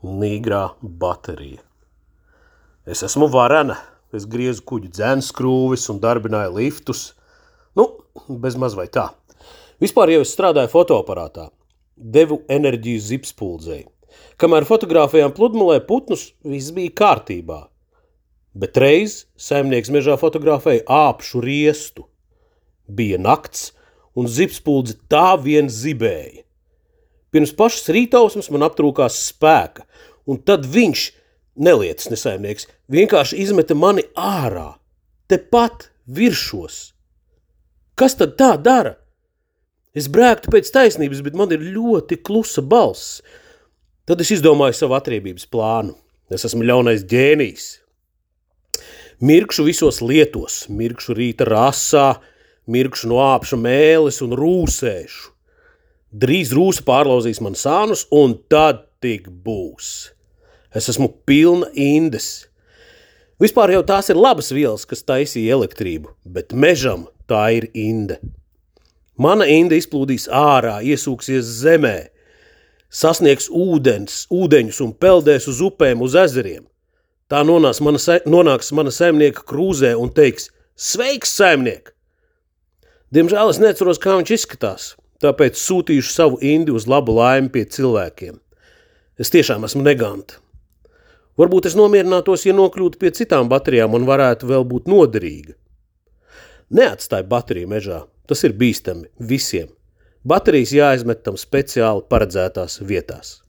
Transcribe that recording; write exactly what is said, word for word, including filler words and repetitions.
Nīgrā baterija. Es esmu varena, es griezu kuģu dzenskrūvis un darbināju liftus. Nu, bez maz vai tā. Vispār jau es strādāju fotoaparātā. Devu enerģiju zipspuldzei. Kamēr fotografējām pludmalē putnus, viss bija kārtībā. Bet reiz saimnieks mežā fotografēja āpšu riestu. Bija nakts, un zipspuldze tā vien zibēja. Pirms pašas rītausmas man aptrūkās spēka, un tad viņš, nelietas nesaimnieks, vienkārši izmeta mani ārā, tepat viršos. Kas tad tā dara? Es brēktu pēc taisnības, bet man ir ļoti klusa balss. Tad es izdomāju savu atriebības plānu. Es esmu ļaunais ģēnijs. Mirkšu visos lietos, mirkšu rīta rasā, mirkšu no āpša mēles un rūsēšu. Drīz rūsa pārlauzīs man sānus, un tad tik būs. Es esmu pilna indes. Vispār jau tās ir labas vielas, kas taisīja elektrību, bet mežam tā ir inde. Mana inde izplūdīs ārā, iesūksies zemē, sasniegs ūdens, ūdeņus un peldēs uz upēm, uz ezeriem. Tā nonāks mana, nonāks mana saimnieka krūzē un teiks: sveiks, saimniek! Diemžēl es neatceros, kā viņš izskatās, tāpēc sūtīšu savu indi uz labu laimi pie cilvēkiem. Es tiešām esmu neganta. Varbūt es nomierinātos, ja nokļūtu pie citām baterijām un varētu vēl būt noderīga. Neatstāj bateriju mežā, tas ir bīstami visiem. Baterijas jāizmet tam speciāli paredzētās vietās.